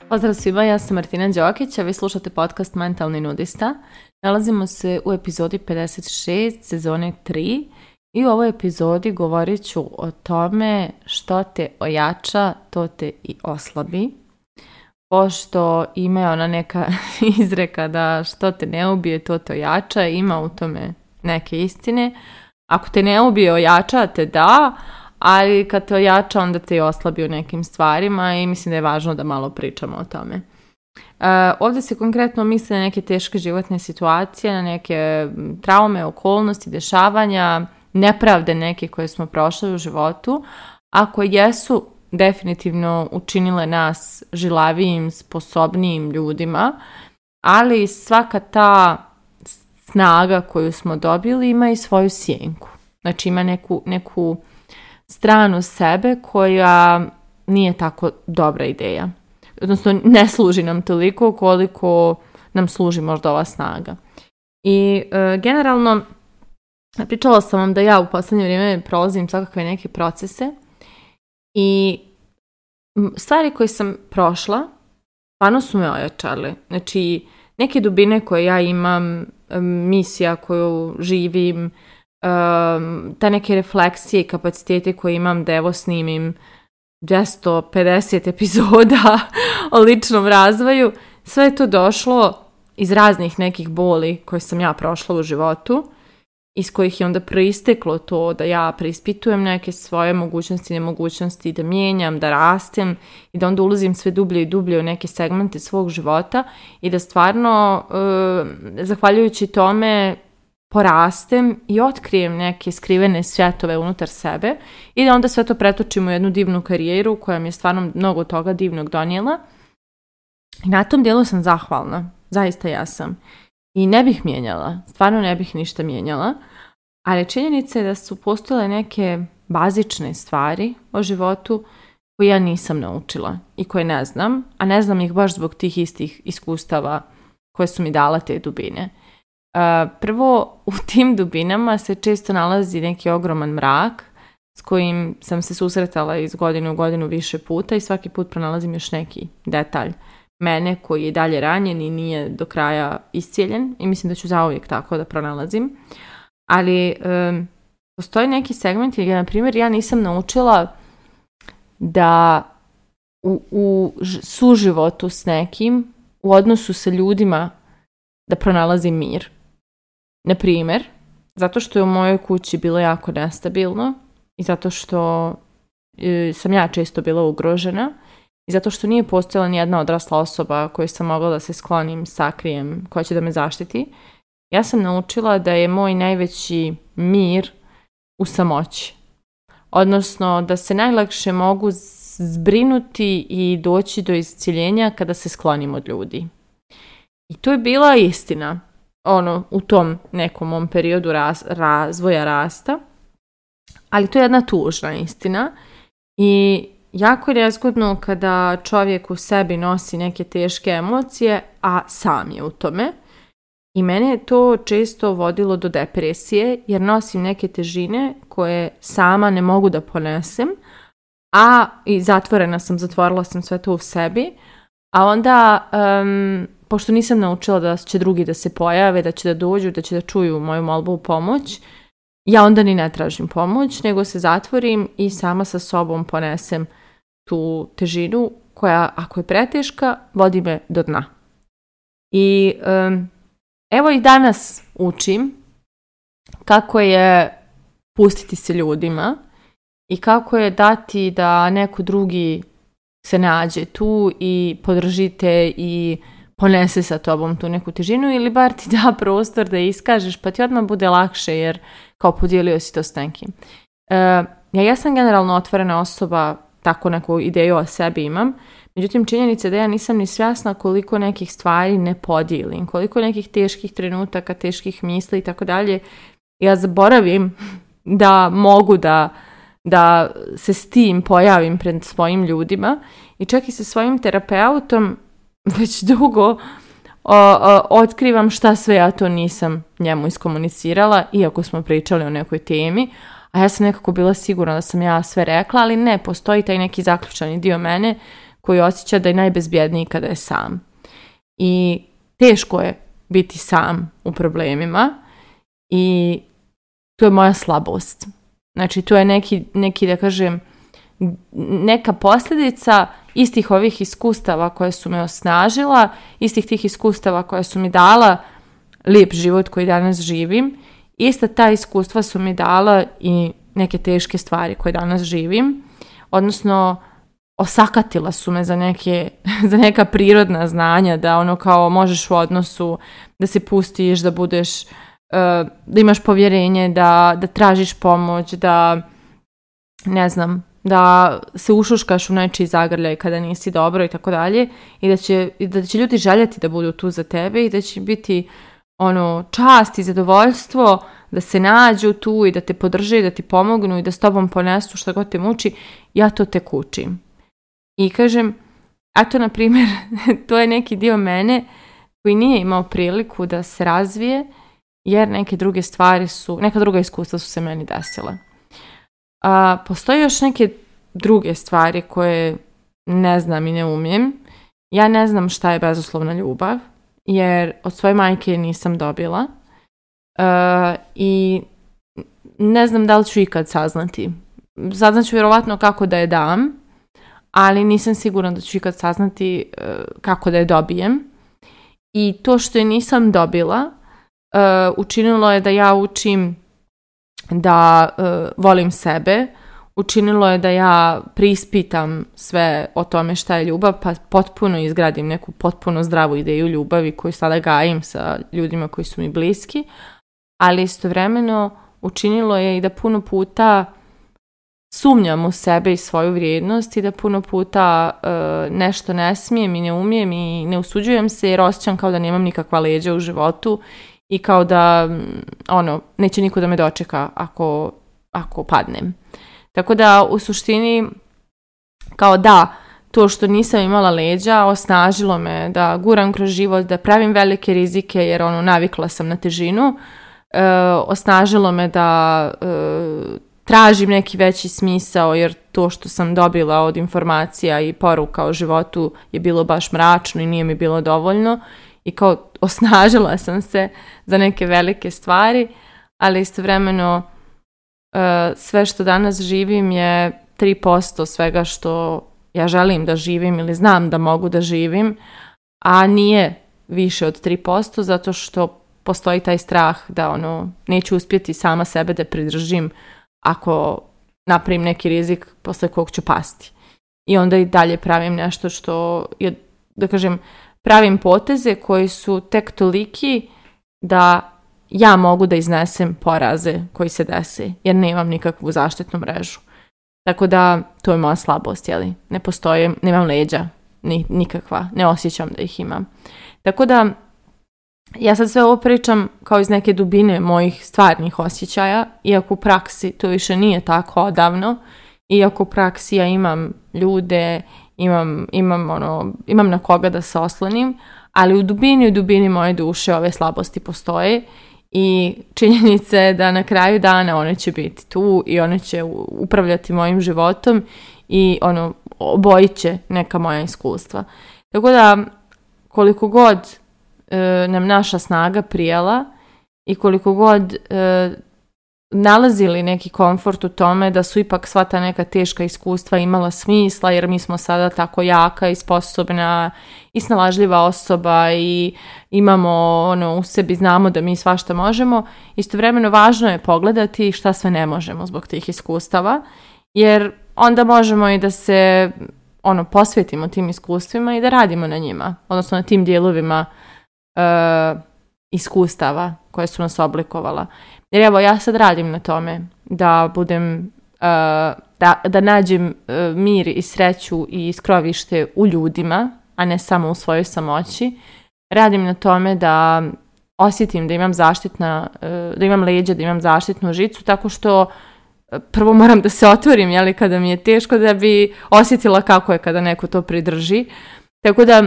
Pozdrav svima, ja sam Martina Đokić, a vi slušate podcast Mentalni nudista. Nalazimo se u epizodi 56 sezone 3 i u ovoj epizodi govorit ću o tome što te ojača, to te i oslabi. Pošto ima ona neka izreka da što te ne ubije, to te ojača, ima u tome neke istine. Ako te ne ubije, ojača te, da, ali kad te ojača, onda te i oslabi u nekim stvarima i mislim da je važno da malo pričamo o tome. Ovdje se konkretno misli na neke teške životne situacije, na neke traume, okolnosti, dešavanja, nepravde neke koje smo prošli u životu, a koje jesu definitivno učinile nas žilavijim, sposobnijim ljudima, ali svaka ta snaga koju smo dobili ima i svoju sjenku. Znači ima neku stranu sebe koja nije tako dobra ideja. Odnosno ne služi nam toliko koliko nam služi možda ova snaga. I generalno pričala sam vam da ja u posljednje vrijeme prolazim svakakve neke procese i stvari koje sam prošla stvarno su me ojačale. Znači neke dubine koje ja imam, misija koju živim, ta neke refleksije i kapacitete koje imam da evo snimim 250 epizoda o ličnom razvoju, sve je to došlo iz raznih nekih boli koje sam ja prošla u životu, iz kojih je onda proisteklo to da ja preispitujem neke svoje mogućnosti i nemogućnosti, da mijenjam, da rastem i da onda ulazim sve dublje i dublje u neke segmente svog života i da stvarno, zahvaljujući tome, porastem i otkrijem neke skrivene svjetove unutar sebe i da onda sve to pretočim u jednu divnu karijeru koja mi je stvarno mnogo toga divnog donijela. I na tom dijelu sam zahvalna, zaista ja sam. I ne bih mijenjala, stvarno ne bih ništa mijenjala, ali činjenica je da su postojale neke bazične stvari o životu koje ja nisam naučila i koje ne znam, a ne znam ih baš zbog tih istih iskustava koje su mi dala te dubine. Prvo, u tim dubinama se često nalazi neki ogroman mrak s kojim sam se susretala iz godine u godinu više puta i svaki put pronalazim još neki detalj mene koji je dalje ranjen i nije do kraja iscijeljen i mislim da ću zauvijek tako da pronalazim. Ali postoji neki segment gdje, na primjer, ja nisam naučila da u suživotu s nekim, u odnosu sa ljudima, da pronalazim mir. Na primjer, zato što je u mojoj kući bilo jako nestabilno i zato što sam ja često bila ugrožena i zato što nije postojala ni jedna odrasla osoba koju sam mogla da se sklonim, sakrijem, koja će da me zaštiti. Ja sam naučila da je moj najveći mir u samoći. Odnosno da se najlakše mogu zbrinuti i doći do iscjeljenja kada se sklonim od ljudi. I to je bila istina, u tom nekom mom periodu razvoja rasta, ali to je jedna tužna istina i jako je nezgodno kada čovjek u sebi nosi neke teške emocije, a sam je u tome. I mene je to često vodilo do depresije, jer nosim neke težine koje sama ne mogu da ponesem, a i zatvorila sam sve to u sebi, a onda pošto nisam naučila da će drugi da se pojave, da će da dođu, da će da čuju moju molbu u pomoć, ja onda ni ne tražim pomoć, nego se zatvorim i sama sa sobom ponesem tu težinu koja, ako je preteška, vodi me do dna. I evo i danas učim kako je pustiti se ljudima i kako je dati da neko drugi se nađe tu i podržite i ponese sa tobom tu neku težinu ili bar ti da prostor da iskažeš pa ti odmah bude lakše jer kao podijelio si to s nekim. Ja sam generalno otvorena osoba, tako neku ideju o sebi imam, međutim činjenica je da ja nisam ni svjesna koliko nekih stvari ne podijelim, koliko nekih teških trenutaka, teških misli i tako dalje. Ja zaboravim da mogu da se s tim pojavim pred svojim ljudima i čak i sa svojim terapeutom već dugo otkrivam šta sve ja to nisam njemu iskomunicirala, iako smo pričali o nekoj temi, a ja sam nekako bila sigurna da sam ja sve rekla, ali ne, postoji taj neki zaključani dio mene koji osjeća da je najbezbjedniji kada je sam. I teško je biti sam u problemima i to je moja slabost. Znači, to je neki da kažem, neka posljedica istih ovih iskustava koje su me osnažila, istih tih iskustava koje su mi dala lijep život koji danas živim. Ista ta iskustva su mi dala i neke teške stvari koje danas živim. Odnosno, osakatila su me za neka prirodna znanja, da ono kao možeš u odnosu, da se pustiš, da budeš, da imaš povjerenje, da tražiš pomoć, da ne znam, da se ušuškaš u nečiji zagrljaj kada nisi dobro i tako dalje, i da će ljudi željeti da budu tu za tebe i da će biti ono čast i zadovoljstvo da se nađu tu i da te podrže i da ti pomognu i da s tobom ponesu šta god te muči. Ja to tek učim. I kažem, a to na primjer, to je neki dio mene koji nije imao priliku da se razvije, jer neka druga iskustva su se meni desila. Postoje još neke druge stvari koje ne znam i ne umijem. Ja ne znam šta je bezuslovna ljubav, jer od svoje majke nisam dobila. I ne znam da li ću ikad saznati. Saznaću vjerovatno kako da je dam, ali nisam sigurna da ću ikad saznati kako da je dobijem. I to što je nisam dobila, učinilo je da ja učim da volim sebe, učinilo je da ja preispitam sve o tome šta je ljubav, pa potpuno izgradim neku potpuno zdravu ideju ljubavi koju sada gajim sa ljudima koji su mi bliski, ali istovremeno učinilo je i da puno puta sumnjam u sebe i svoju vrijednost i da puno puta nešto ne smijem i ne umijem i ne usuđujem se jer osjećam kao da nemam nikakva leđa u životu i kao da neće niko da me dočeka ako padnem. Tako da u suštini kao da to što nisam imala leđa osnažilo me da guram kroz život, da pravim velike rizike jer navikla sam na težinu, osnažilo me da tražim neki veći smisao jer to što sam dobila od informacija i poruka o životu je bilo baš mračno i nije mi bilo dovoljno i kao osnažila sam se za neke velike stvari, ali istovremeno sve što danas živim je 3% svega što ja želim da živim ili znam da mogu da živim, a nije više od 3% zato što postoji taj strah da neću uspjeti sama sebe da pridržim ako napravim neki rizik posle kog ću pasti. I onda i dalje pravim nešto što je, da kažem, pravim poteze koji su tek toliki da ja mogu da iznesem poraze koji se dese, jer nemam nikakvu zaštitnu mrežu. Tako da, to je moja slabost, jeli? Ne postoje, nemam leđa, nikakva, ne osjećam da ih imam. Tako da, ja sad sve ovo pričam kao iz neke dubine mojih stvarnih osjećaja, iako u praksi to više nije tako odavno, iako u praksi ja imam ljude, imam na koga da se oslonim, ali u dubini moje duše ove slabosti postoje i činjenica je da na kraju dana one će biti tu i one će upravljati mojim životom i obojit će neka moja iskustva. Tako da koliko god nam naša snaga prijela i koliko god nalazili neki komfort u tome da su ipak sva ta neka teška iskustva imala smisla jer mi smo sada tako jaka i sposobna i snalažljiva osoba i imamo u sebi, znamo da mi svašta možemo, istovremeno važno je pogledati šta sve ne možemo zbog tih iskustava jer onda možemo i da se posvetimo tim iskustvima i da radimo na njima, odnosno na tim dijelovima iskustava koje su nas oblikovala. Jer evo, ja sad radim na tome da budem, da nađem mir i sreću i skrovište u ljudima, a ne samo u svojoj samoći. Radim na tome da osjetim da imam da imam leđa, da imam zaštitnu žicu, tako što prvo moram da se otvorim, jeli, kada mi je teško, da bi osjetila kako je kada neko to pridrži. Tako da,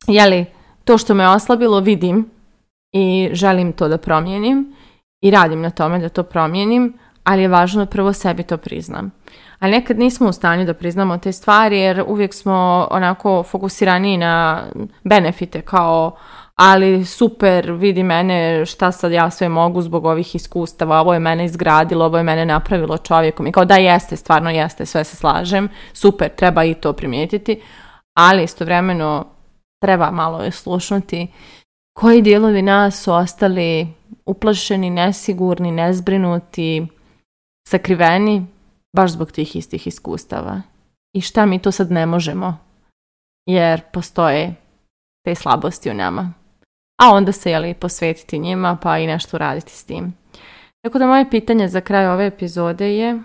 jeli, to što me oslabilo vidim i želim to da promijenim i radim na tome da to promijenim, ali je važno da prvo sebi to priznam. Ali nekad nismo u stanju da priznamo te stvari jer uvijek smo onako fokusirani na benefite kao ali super, vidi mene, šta sad ja sve mogu zbog ovih iskustava, ovo je mene izgradilo, ovo je mene napravilo čovjekom. I kao da jeste, stvarno jeste, sve se slažem, super, treba i to primijetiti, ali istovremeno treba malo je slušnuti koji dijelovi nas su ostali uplašeni, nesigurni, nezbrinuti, sakriveni, baš zbog tih istih iskustava. I šta mi to sad ne možemo, jer postoje te slabosti u nama. A onda se posvetiti njima pa i nešto raditi s tim. Tako da moje pitanje za kraj ove epizode je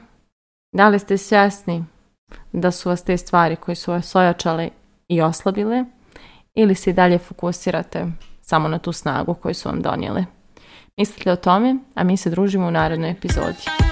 da li ste svjesni da su vas te stvari koje su vas ojačale i oslabile ili se i dalje fokusirate samo na tu snagu koju su vam donijele. Mislite o tome, a mi se družimo u narednoj epizodi.